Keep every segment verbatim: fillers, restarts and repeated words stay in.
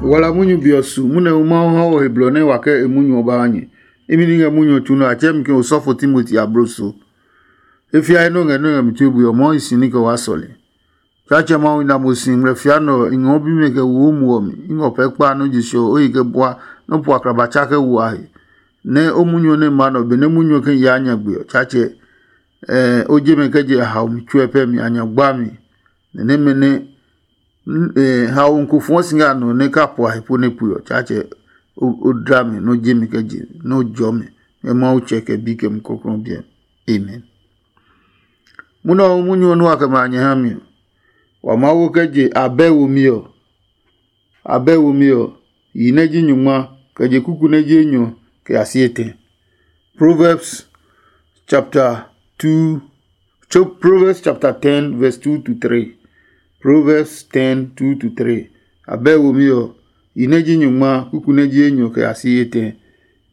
Wala munyu be ɔ su munyu nɛ Mawu ha wɔ he blɔ nɛ wa kɛ e munyu ɔ ba ha nyɛ. Imi ni ngɛ munyu ɔ tsu nɛ a tsɛɛ mi ke osɔfo Timoti abloso. E fiae nɔ́ ngɛ nɔ́ ngɛ mi tue bui ɔ, Mawu hi si ní kɛ waa sɔle. Tsaatsɛ Mawu, i na mo si ngmlɛ fia nɛ ɔ, i ngɔ bimɛ kɛ wo o muɔ mi. I ngɔ pɛɛ kpa nɔ́ je se ɔ, o yi kɛ bua nɔ́ po akraba tsa kɛ wo a he. Nɛ o munyu ɔ nɛ ma nɛ ɔ, benɛ munyu ɔ kɛ yaa nyagbe ɔ, Tsaatsɛ, o je mɛ kɛ je a haomi tsuɛ pɛ mi a nya gba mi. Nɛ nɛmɛ nɛ haomi ko fɔɔ si ngɛ a nɔ nɛ ka po a he po nɛ pue ɔ, Tsaatsɛ, o dla mi nɛ o je mi kɛ je nɛ o jɔ mi ngɛ Mawu Tsɛ kɛ Bi kɛ Mumi Klɔuklɔu ɔ biɛ. Amen. Munɔ ɔ munyu ɔ nua kɛ ma a nyɛ ha mi ɔ, wa Mawu kɛ je abɛ womi ɔ. Abɛ womi ɔ, yi nɛ ji nyungma, kɛ je kuku nɛ ji enyɔ kɛ ya si etɛ. Proverbs chapter two, Proverbs chapter ten verse two to three. Proverbs ten two to three. Abɛ womi ɔ, yi nɛ ji nyungma, kuku nɛ ji enyɔ kɛ ya si etɛ.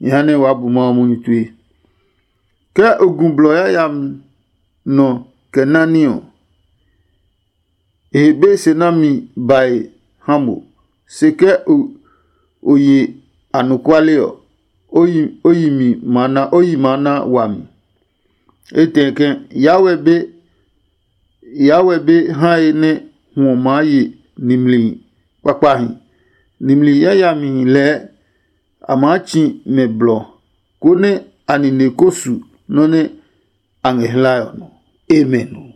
Nyɛ ha nɛ waa bu Mawu munyu tue. Ke o gu blɔ yayami nɔ kɛ nani ɔ, e he be se nami bae ha mo. Se ke o ye anɔkuale ɔ, o yi mi maa na o yi maa na wami. Etɛ ke, yaa wɛ be yaa wɛ be hae nɛ hwɔ maa ye nimli kpakpahi. Nimli yayamihi lɛɛ a maa tsi mɛ blɔ, konɛ a nine ko su nɔ́ nɛ a ngɛ hlae ɔ nɔ. Amen.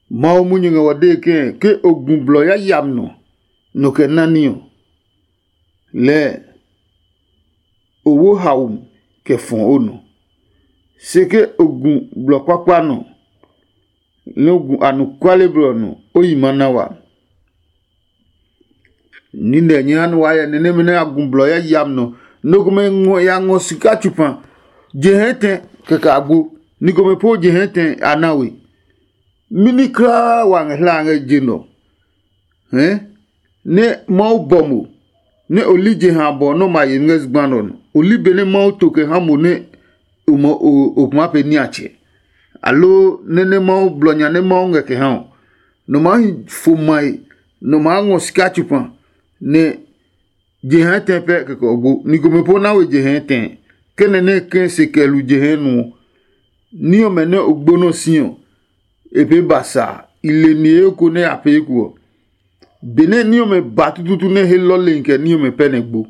Mawu munyu ngɛ wɔ dee ke ke o gu blɔ yayami nɔ, nɔ kɛ nani ɔ, lɛɛ o wo haomi kɛ fɔ o nɔ. Se ke o gu blɔ kpakpa nɔ, nɛ o gu anɔkuale blɔ nɔ, o yi maa na wa. Nine ɔ nyɛ ha nɛ waa hyɛ ni nɛmɛ nɛ a gu blɔ yayami nɔ. Nɔ komɛ ngɔ ya ngɔ sika tsupa je hɛɛ tɛ kɛkɛ agbo. Ni komɛ po je hɛɛ tɛ a na we. Mɛni kulaa wa ngɛ hla ngɛ je nɔ hɛɛ nɛ Mawu bɔ mo, nɛ o li jeha abɔ nɛ o ma ye ngɛ zugba nɛ ɔ nɔ. O li benɛ Mawu to kɛ ha mo nɛ o ma o kuma pɛ niatsɛ, aloo nɛ nɛ Mawu blɔ nya nɛ Mawu ngɛ kɛ ha ɔ. Nɔ maa hi fo mae, nɔ maa ngɔ sika tsupa, nɛ je hɛɛ tɛ pɛ kɛkɛ ɔ gbo. Ni komɛ po na we je hɛɛ tɛ, kɛ nɛ nɛ ke se kɛ lu je hɛɛ nu ɔ. Ní ɔmɛ nɛ o gbo nɔ si ɔ, e pee ba sa a, i le niheyo ko nɛ a pee ko ɔ. Benɛ ní ɔmɛ ba tututu nɛ he lɔlehi kɛ ní ɔmɛ pɛ nɛ gbo.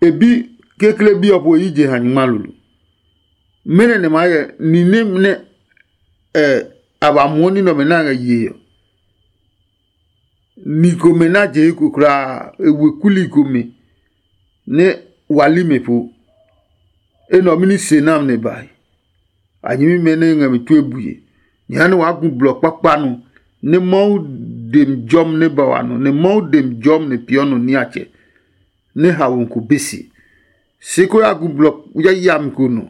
E bi kekle bi ɔ po yi je ha nyingma lolo. Mɛnɔ nɛ maa hyɛ ni nɛ nɛ a ba muɔ ní nɛ ɔmɛ nɛ a ngɛ yee ɔ? Ni komɛ nɛ a je eko kulaa, e we kuli komɛ nɛ wa li mɛ po. Enɛ ɔ mɛni se nam nɛ bae? A nyɛmimɛ nɛ ngɛ mi tue bue. Nyɛ ha nɛ waa gu blɔ kpakpa nɔ, nɛ Mawu dem jɔmi nɛ ba wa nɔ, nɛ Mawu dem jɔmi nɛ peeɔ nɔ niatsɛ, nɛ haomi ko be se. Se ko ya gu blɔ yayami ko nɔ,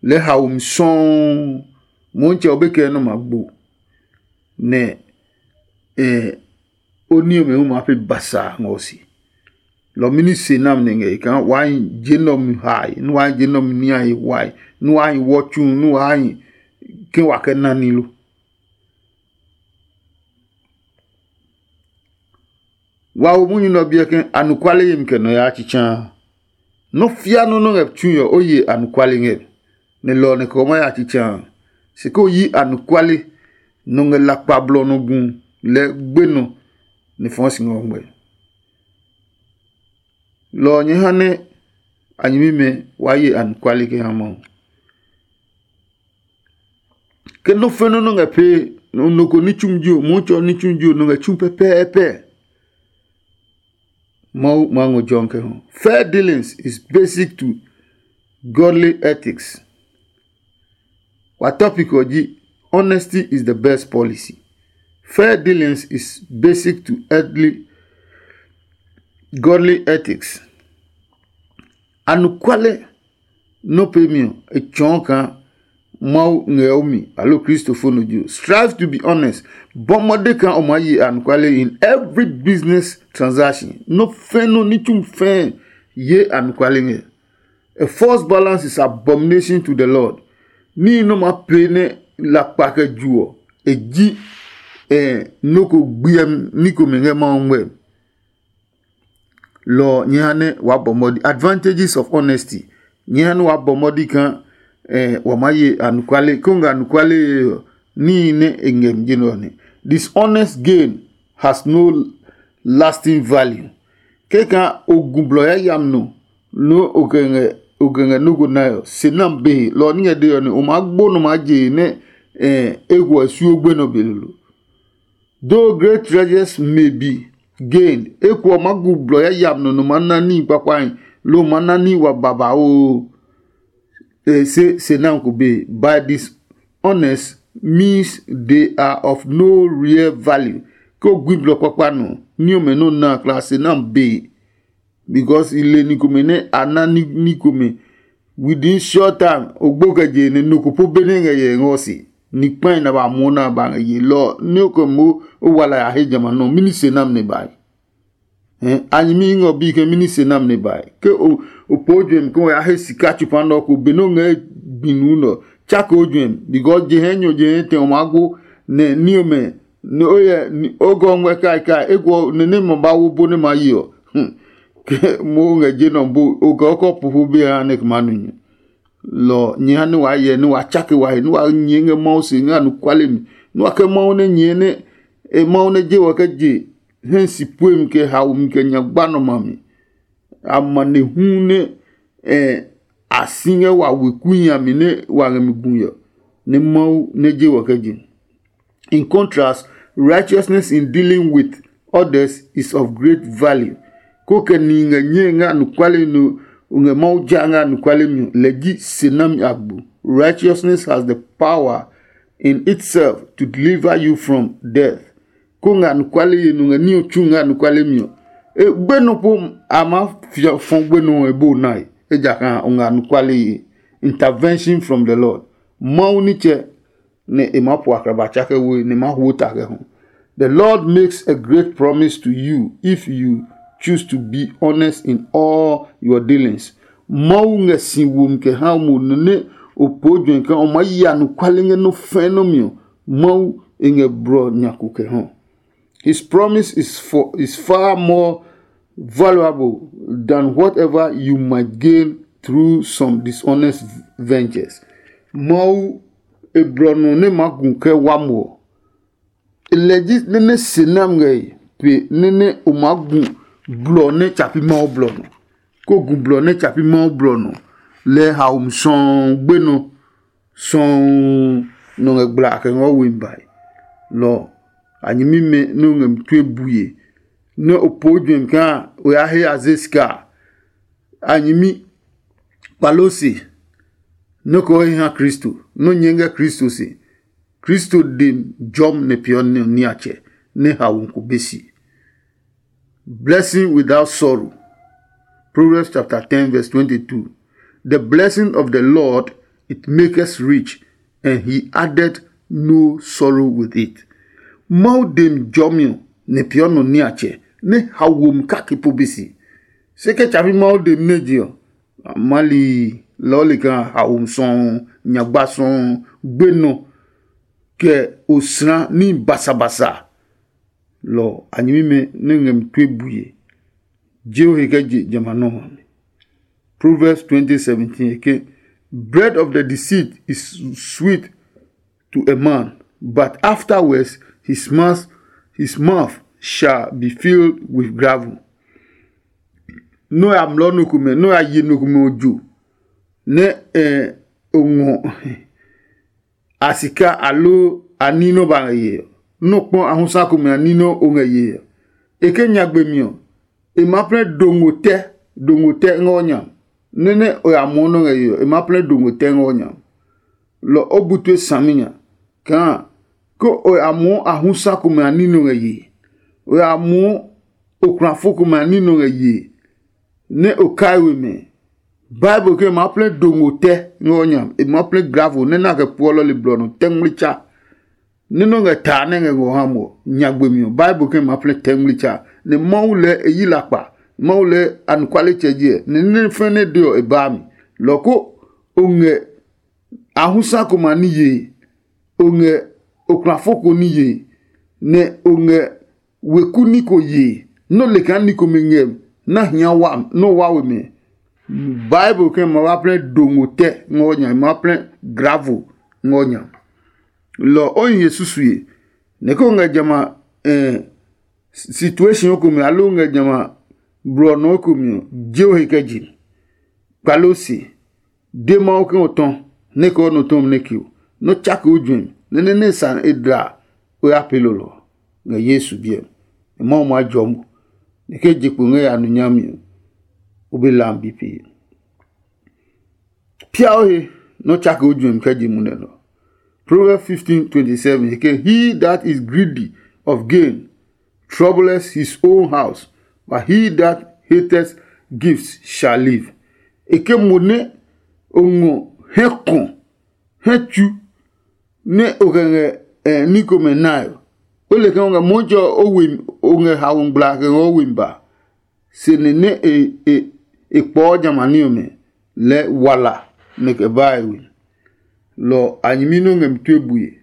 lɛɛ haomi sɔuu. Motsɛ ɔ be kɛ nɔ ma gbo, nɛ o ní ɔmɛ hu maa pee basa ngɔ si. Lɔ mɛni se nam nɛ ngɛ e kaa waa hi je nɛ ɔ mi hae, nɛ waa hi je nɛ ɔ mi niae wae, nɛ waa hi wɔ tsu, nɛ waa hi ke wa kɛ na ní lo? Wa wo munyu nɛ ɔ biɛ ke anɔkuale yemi kɛ nɔ yaa tsitsaa. Nɔ́ fia nɔ́ nɔ́ ngɛ tsui ɔ, o ye anɔkuale ngɛ, nɛ lɔ ɔ nɛ kɛ o maa ya tsitsaa. Se kɛ o yi anɔkuale nɔ ngɛ lakpa blɔ nɔ gu lɛɛ gbenɔ nɛ fɔɔ si ngɛ o ngmɛ. Lɔ ɔ nyɛ ha nɛ a nyɛmimɛ waa ye anɔkuale kɛ ha Mawu. Ke nɔ́ fɛ́ nɔ́ nɔ́ ngɛ pee, nɔ ko ní tsumi ji o, Mɔtsɛ ɔ ní tsumi ji o, nɔ ngɛ tsu pɛpɛɛpɛ. Mawu maa ngɔ jɔmi kɛ ho. Fair dealings is basic to godly ethics. Wa topic ɔ ji, honesty is the best policy. Fair dealings is basic to earthly godly ethics. Anɔkuale nɔ́ peemi ɔ, e tsɔɔ kaa Mawu ngɛ o mi aloo Kristo fo nɔ ji o. Strive to be honest. Bɔ mɔde kaa o maa ye anɔkuale in every business transaction. Nɔ́ fɛ́ nɔ́ ní tsumi fɛɛ ye anɔkuale ngɛ. A false balance is abomination to the Lord. Níhi nɛ o maa pee nɛ lakpa kɛ ju ɔ, e ji nɔ́ ko gbiɛmi ní komɛ ngɛ Mawu ngmɛmi. Lɔ ɔ nyɛ ha nɛ waa bɔ mɔdi. Advantages of honesty. Nyɛ ha nɛ waa bɔ mɔdi kaa eh, wa maa ye anɔkuale. Ko ngɛ anɔkuale yee ɔ, níhi nɛ e ngɛ mi je nɛ ɔ nɛ. Dishonest gain has no lasting value. Kɛkaa o gu blɔ yayami nɔ nɛ o kɛ ngɛ o kɛ ngɛ nɔ́ ko nae ɔ, se nami be he. Lɔ ɔ ní ngɛ dee ɔ nɛ o maa gbo nɔ maa je he nɛ eh, e huɔ suo gbe nɔ be lolo. Though great treasures may be gained, eko ɔ maa gu blɔ yayami nɔ nɔ maa na níhi kpakpahi, loo maa na níhi wa babauu. E se se nami ko be. By dishonest means they are of no real value. Ke o gui blɔ kpakpa nɔ, ní ɔmɛ nɛ o na a kla se nami be. Because i le ni komɛ nɛ a na ní komɛ within short time, o gbo kɛ je nɛ nɔ ko po be nɛ ngɛ yɛ ngɔ se ni kpae na ba muɔ na ba ngɛ ye lɔ nɛ o kɛ mo o wala ya he jamɛ nɔ mini se nam nɛ bai. A nyɛmi ngɔ bi ke mini se nam nɛ bai ke o po juɛmi ke o ya he sika tsupa nɔ ko be nɛ o ngɛ gbi nuu nɔ tsake o juɛmi because je hɛ nyɔ je hɛ tɛ o maa gbo nɛ ní ɔmɛ nɛ o yɛ o gɔ ngmɛ kai kai eko nɛ nɛ ma ba wo bo nɛ ma yi ɔ. Ke mo ngɛ je nɔ bo o kɛ o kɔ pupu be ha nɛ kɛ ma nu nyu. Lɔ nyɛ ha nɛ wa yɛ nɛ wa tsake wa he nɛ wa nyɛ ngɛ Mawu se ngɛ anɔkuale mi nɛ wa kɛ Mawu nɛ nyɛ nɛ e Mawu nɛ je wɔ kɛ je hɛ si pue mi kɛ haomi kɛ nyagba nɔ ma mi. Amanehlu nɛ eh, a si ngɛ wa weku nya mi nɛ wa ngɛ mi gu yɔ nɛ Mawu nɛ je wɔ kɛ je. In contrast, righteousness in dealing with others is of great value. Ko kɛ ni ngɛ nyɛe ngɛ anɔkuale nɔ o ngɛ Mawu ja ngɛ anɔkuale mi ɔ, lɛ ji se nami agbo. Righteousness has the power in itself to deliver you from death. Ko ngɛ anɔkuale ye nɔ ngɛ ní ɔ tsu ngɛ anɔkuale mi ɔ, e gbe nɔ po a maa fɔ gbe nɔ ɔ e bo nae, ejakaa o ngɛ anɔkuale ye. Intervention from the Lord. Mawu nitsɛ nɛ e maa po akraba tsakɛ woe nɛ e maa huo ta kɛ hu. The Lord makes a great promise to you if you choose to be honest in all your dealings. Mawu ngɛ si womi kɛ ha mo nɔ nɛ o poo juɛ kaa o maa ya anɔkuale ngɛ nɔ́ fɛɛ nɔ́ mi ɔ, Mawu e ngɛ blɔ nya ko kɛ ha. His promise is for is far more valuable than whatever you might gain through some dishonest ventures. Mawu e blɔ nɔ nɛ ma gu kɛ wa mo ɔ, lɛ ji nɛ nɛ se nam ngɛ pe nɛ nɛ o maa gu blɔ nɛ tsa pi Mawu blɔ nɔ. Ko gu blɔ nɛ tsa pi Mawu blɔ nɔ, lɛ haomi sɔuu gbe nɔ sɔuu nɔ ngɛ gbla kɛ ngɔ we mi bae. Lɔ a nyɛmimɛ nɛ o ngɛ mi tue bue nɛ o poo juɛmi kaa o ya he a ze sika a. A nyɛmi kpalo se nɔ́ ko he ha Kristo, nɔ́ nyɛ ngɛ Kristo se. Kristo dem jɔm nɛ peeɔ niatsɛ nɛ haomi ko be si. Blessing without sorrow. Proverbs chapter ten verse twenty-two. The blessing of the Lord, it maketh rich, and he added no sorrow with it. Mawu dem jɔmi ɔ nɛ peeɔ nɔ niatsɛ nɛ haomi kake po be si. Se kɛ tsapi Mawu dem nɛ je ɔ, mali lɔɔli kaa haomi sɔɔ, nyagba sɔɔ, gbenɔ kɛ osra ní basabasa. Lɔ a nyɛmimɛ nɛ ngɛ mi tue bue je o he kɛ je jamɛ a nɔmlɔ mi. Proverbs twenty seventeen ke, bread of the deceit is sweet to a man, but afterwards his mouth, his mouth shall be filled with gravel. Nɔ ya mlɔ nɔ komɛ, nɔ ya ye nɔ komɛ ojo nɛ eh, o ngɔ a sika aloo a ní nɔ́ ba ngɛ yee ɔ, nɔ́ kpɔ ahusa komɛ a ní nɔ́ o ngɛ yee ɔ. E ke nyagbe mi ɔ, e ma plɛ dongo tɛ, dongo tɛ ngɛ o nya. Nɛ nɛ o ya muɔ nɔ́ ngɛ yee ɔ, e ma plɛ dongo tɛ ngɛ o nya. Lɔ o bu tue saminya kaa ke o ya muɔ ahusa komɛ a ní nɔ́ ngɛ yee, o ya muɔ okulafo komɛ a ní nɔ́ ngɛ yee, nɛ o kai we mɛ. Bible ke ma plɛ dongo tɛ ngɛ o nya, e ma plɛ gravo nɛ na kɛ puɔ lɔli blɔ nɔ tɛ ngmlitsa. Nɛ nɔ ngɛ taa nɛ ngɛ ngɔ ha mo nyagbe mi ɔ, Bible ke ma plɛ tɛ ngmlitsa. Nɛ Mawu lɛ e yi lakpa, Mawu lɛ anɔkualetsɛ jiɛ, nɛ nɛ fɛnɛ de ɔ e baa mi. Lɔ ko o ngɛ ahusa ko ma ní yee, o ngɛ okulafo ko ní yee, nɛ o ngɛ weku ní ko yee, nɛ o le kaa ní komɛ ngɛ na hia wa nɔ wa we mɛ. Bible kɛ ma wa plɛ dongo tɛ ngɔ nya, ma plɛ gravel ngɔ nya. Lɔ o nyi he susue. Nɛ ko ngɛ jama eh, situation ko mi alo ngɛ jama blɔ nɔ ko mi, je o he kɛ je. Kpalo se de Mawu ke o tɔ nɛ kɛ o nɔ tɔmi nɛ ke o, nɔ tsake o juɛmi nɛ nɛ nɛ sa e dla o ya pee lolɔ ngɛ Yesu biɛ. Mawu ma jɔ mo nɛ ke je kpo ngɛ ya nu nyami ɔ, o be lam bi pee. Pia o he nɔ tsake o juɛmi kɛ je munɛ nɔ. Proverbs fifteen twenty seven, he ke, "He that is greedy of gain troubles his own house, but he that hateth gifts shall live." E ke mo nɛ o ngɔ hɛ kɔ hɛ tsu nɛ o kɛ ngɛ eh, ní komɛ nae ɔ, o le kaa o ngɛ Mɔtsɛ ɔ o we o ngɛ hawo ngmlaa kɛ ngɛ o we mi ba. Se nɛ nɛ e e e kpɔɔ jamani ɔmɛ lɛɛ wala nɛ kɛ ba e we. Lɔ a nyɛmi nɔ ngɛ mi tue bue.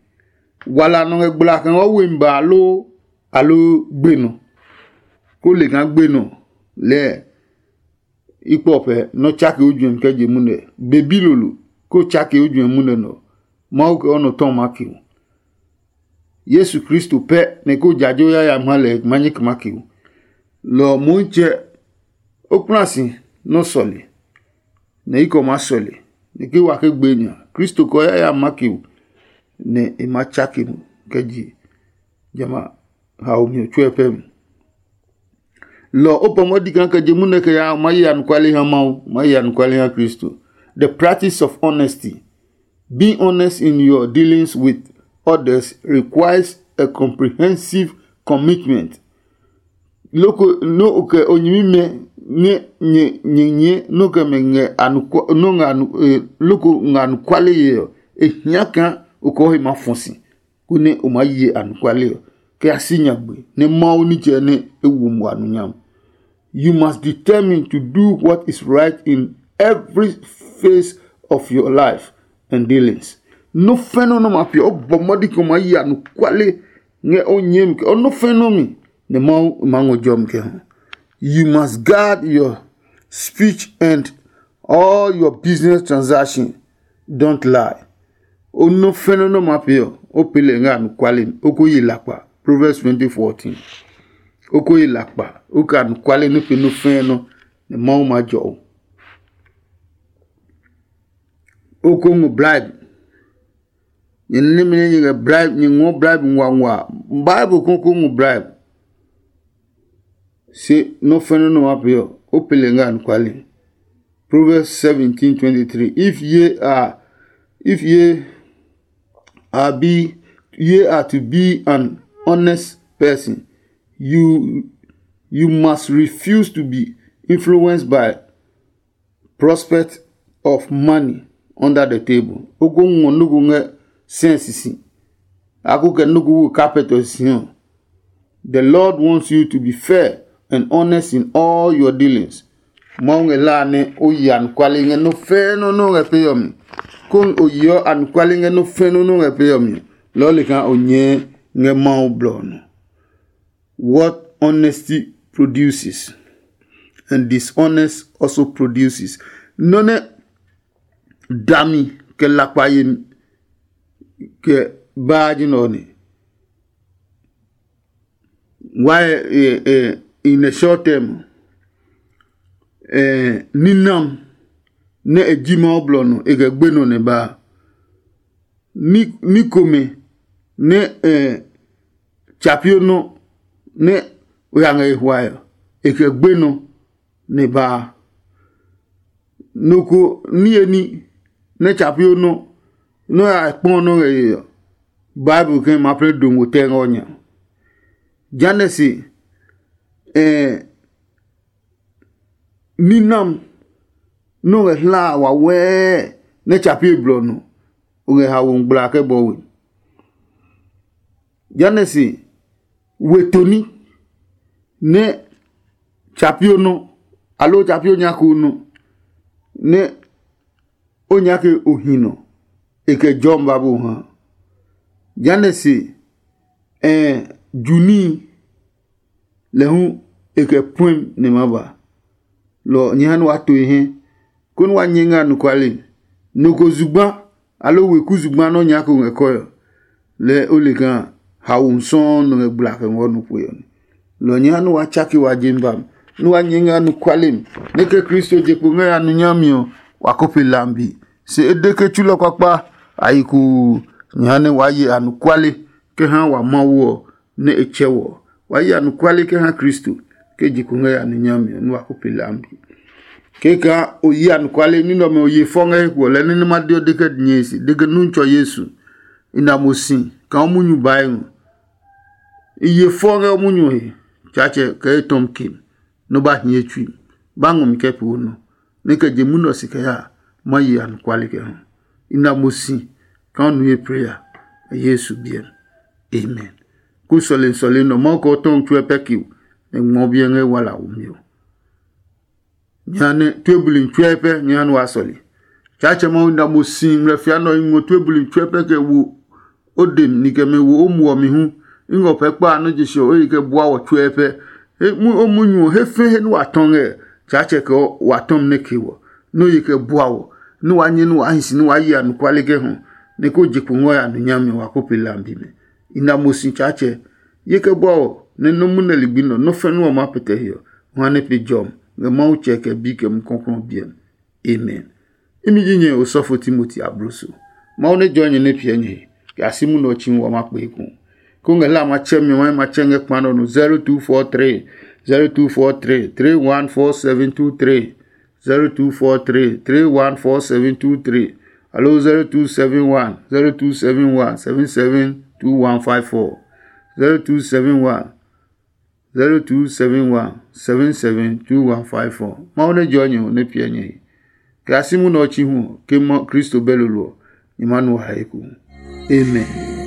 Wala nɔ ngɛ gbla kɛ ngɔ we mi ba aloo aloo gbe nɔ. Ko le kaa gbe nɔ lɛɛ i kpɔ pɛ nɔ tsake o juɛmi kɛ je munɛ be bi lolo ko tsake o juɛmi munɛ nɔ. Mawu kɛ o nɔ tɔ ma ke o. Yesu Kristo pɛ nɛ ko jajo yayami ha lɛ ma nyɛ kɛ ma ke o. Lɔ ɔ Moitsɛ o kpla si nɔ sɔle nɛ i kɛ o ma sɔle nɛ ke wa ke gbe nya Kristo kɛ o yayami ma ke o. Nɛ e ma tsake mo kɛ je jamɛ a haomi ɔ tsuɛ pɛ mi. Lɔ o pɔ mɔ di kaa kɛ je munɛ kɛ ya ma ye anɔkuale ha Mawu, ma ye anɔkuale ha Kristo. The practice of honesty. Being honest in your dealings with others requires a comprehensive commitment. Loko no o kɛ o nyɛmimɛ nɛ nyɛ nyɛ nyɛ no kɛ mɛ ngɛ anukwa no ngɛ anu eh, loko ngɛ anɔkuale ye ɔ, e hia kaa o kɛ o he ma fɔ si konɛ o maa ye anɔkuale ɔ kɛ ya si nyagbe nɛ Mawu nitsɛ nɛ e wo mo anonyam. You must determine to do what is right in every phase of your life and dealings. Nɔ́ fɛ́ nɔ́ nɛ ma piɛ o bɔ mɔdi kɛ o maa ye anɔkuale ngɛ o nyɛɛ mi kɛ o nɔ́ fɛ́ nɔ́ mi nɛ Mawu ma ngɔ jɔmi kɛ ha. You must guard your speech and all your business transaction. Don't lie. O nɔ́ fɛ́ nɔ́ nɛ ma pee ɔ, o pee lɛ ngɛ anɔkuale mi, o ko ye lakpa. Proverbs twenty fourteen. O ko ye lakpa, o kɛ anɔkuale nɛ pee nɔ́ fɛ́ nɔ́ nɛ Mawu ma jɔ o. O ko ngɔ bribe. Nyɛ nɛmɛ nɛ nyɛ ngɛ bribe, nyɛ ngɔ bribe nguangua. Bible ko ko ngɔ bribe. Se nɔ́ fɛ́ nɔ́ nɛ ma pee ɔ, o pee lɛ ngɛ anɔkuale. Proverbs seventeen twenty three. If ye are if ye are be ye are to be an honest person, you you must refuse to be influenced by prospect of money under the table. O ko ngɔ nɔ́ ko ngɛ sɛɛ sisi, a ko kɛ nɔ́ ko wo carpet ɔ si ɔ. The Lord wants you to be fair and honest in all your dealings. Mawu ngɛ la nɛ o yi anɔkuale ngɛ nɔ́ fɛɛ nɔ́ nɛ o ngɛ pee ɔ mi. Konɛ o yeɔ anɔkuale ngɛ nɔ́ fɛɛ nɔ́ nɛ o ngɛ pee ɔ mi, lɔɔ le kaa o nyɛɛ ngɛ Mawu blɔ ɔ nɔ. What honesty produces and dishonest also produces. Nɔ́ nɛ dami kɛ lakpa yemi kɛ baa ji nɛ ɔ ne. Why eh, eh, in a short term eh, ninam nɛ e ji Mawu blɔ nɔ e kɛ gbe nɔ nɛ baa. Ní komɛ nɛ eh, tsa pio nɔ nɛ o ya ngɛ e hwae ɔ, e kɛ gbe nɔ nɛ baa. Nɔ ko niye ní nɛ tsa pio nɔ nɛ o ya kpɔ nɔ ngɛ ye ɔ, Bible kɛ ma plɛ dongo tɛ ngɛ o nya. Jehanɛ se eh, ninam nɛ o ngɛ hlaa wawɛɛ nɛ tsa pie blɔ nɔ, o ngɛ hawo ngmlaa kɛ bɔ we. Jehanɛ se we toni nɛ tsa pio nɔ aloo tsa pio nyako nɔ nɛ o nyake o hi nɔ e kɛ jɔmi babo ha. Jehanɛ se ɛɛ ju níhi lɛ hu e kɛ puɛmi nɛ ma ba. Lɔ ɔ, nyɛ ha nɛ waa to e hɛ, konɛ wa nyɛ ngɛ anɔkuale. Nɔ ko zugba, aloo weku zugba nɛ o nyɛɛ ko ngɛ kɔe ɔ, lɛɛ o le kaa haomi sɔuu nɔ ngɛ gbla kɛ ngɔ nɔ kpe ɔ nɛ. Lɔ ɔ, nyɛ ha nɛ waa tsake wa je mi ba mi, nɛ wa nyɛ ngɛ anɔkuale mi, nɛ ke Kristo je kpo ngɛ ya nu nyami ɔ, wa ko pe lambi. Se e de ke tsulɔ kpakpa a yi kuu, nyɛ ha nɛ waa ye anɔkuale kɛ ha wa Mawu ɔ, nɛ e tsɛ wɔ ɔ. Wa ye anɔkuale kɛ ha Kristo, ke je kpo ngɛ ya nu nyami ɔ, nɛ wa ko pe lambi. Kɛkaa o yi anɔkuale ní nɛ ɔmɛ o ye fɔ ngɛ he kuɔ lɛ nɛ nɛ ma de ɔ de kɛ nyɛe se de ke nu tsɔ Yesu. I na mo si kaa o munyu bae ngɔ. I ye fɔ ngɛ o munyu he, Tsaatsɛ kɛ etɔm kem, nɔ ba hie tsui, ba ngɔ mi kɛ pee o nɔ, nɛ kɛ je munɔ si kɛ ya ma ye anɔkuale kɛ ha. I na mo si kaa o nu ye preya, ngɛ Yesu biɛ mi. Amen. Ku sɔlemi sɔlemi nɔ Mawu kɛ o tɔmi tsuɛ pɛ kio, nɛ ngmɔ biɛ ngɛ wala womi ɔ. Nya nɛ tue buli tsuɛ pɛ nya nɛ wa sɔle. Tsaatsɛ Mawu na mo si ngmlɛfia nɛ ɔ ngɔ tue buli tsuɛ pɛ kɛ wo o dem ni kɛ mɛ wo o muɔ mi hu. I ngɔ pɛ kpa a nɔ je se ɔ o yi kɛ bua wɔ tsuɛ pɛ. He mu o munyu ɔ he fɛ he nɛ wa tɔ ngɛ. Tsaatsɛ kɛ wa tɔmi nɛ ke wɔ nɛ o yi kɛ bua wɔ, nɛ wa nyɛ nɛ wa hi si nɛ wa yi anɔkuale kɛ hɔ, nɛ ko je kpo ngɔ ya nu nyami ɔ wa ko pe lambi mɛ. I na mo si Tsaatsɛ. Ye kɛ bua wɔ nɛ nɔ́ munɛ ligbi nɛ ɔ nɔ́ fɛ̃ nɛ ɔ maa pɛtɛ he ɔ, o ha nɛ pe jɔmi ngɛ Mawu Tsɛ kɛ Bi kɛ Mumi Klɔuklɔu ɔ biɛ mi. Amen. Imi ji nyɛ osɔfo Timoti abloso. Mawu nɛ jɔɔ nyɛ nɛ piɛ nyɛ he, kɛ a si munɛ ɔ tsi hu wa ma kpee hu. Ko ngɛ hla a ma tsɛ mi ɔ, ma tsɛ ngɛ kpa nɔ no zero two four three, zero two four three, three one four seven two three, zero two four three, three one four seven two three, aloo zero two seven one, zero two seven one, seven seven two one five four, zero two seven one, zero two seven one, seven seven two one five four. Mawu nɛ jɔɔ nyɛ ɔ nɛ piɛ nyɛ he. Kɛ a si munɛ ɔ tsi hu ɔ, ke ma Kristo bɛ lolo ɔ, nyɛ ma nu wa he eko. Amen.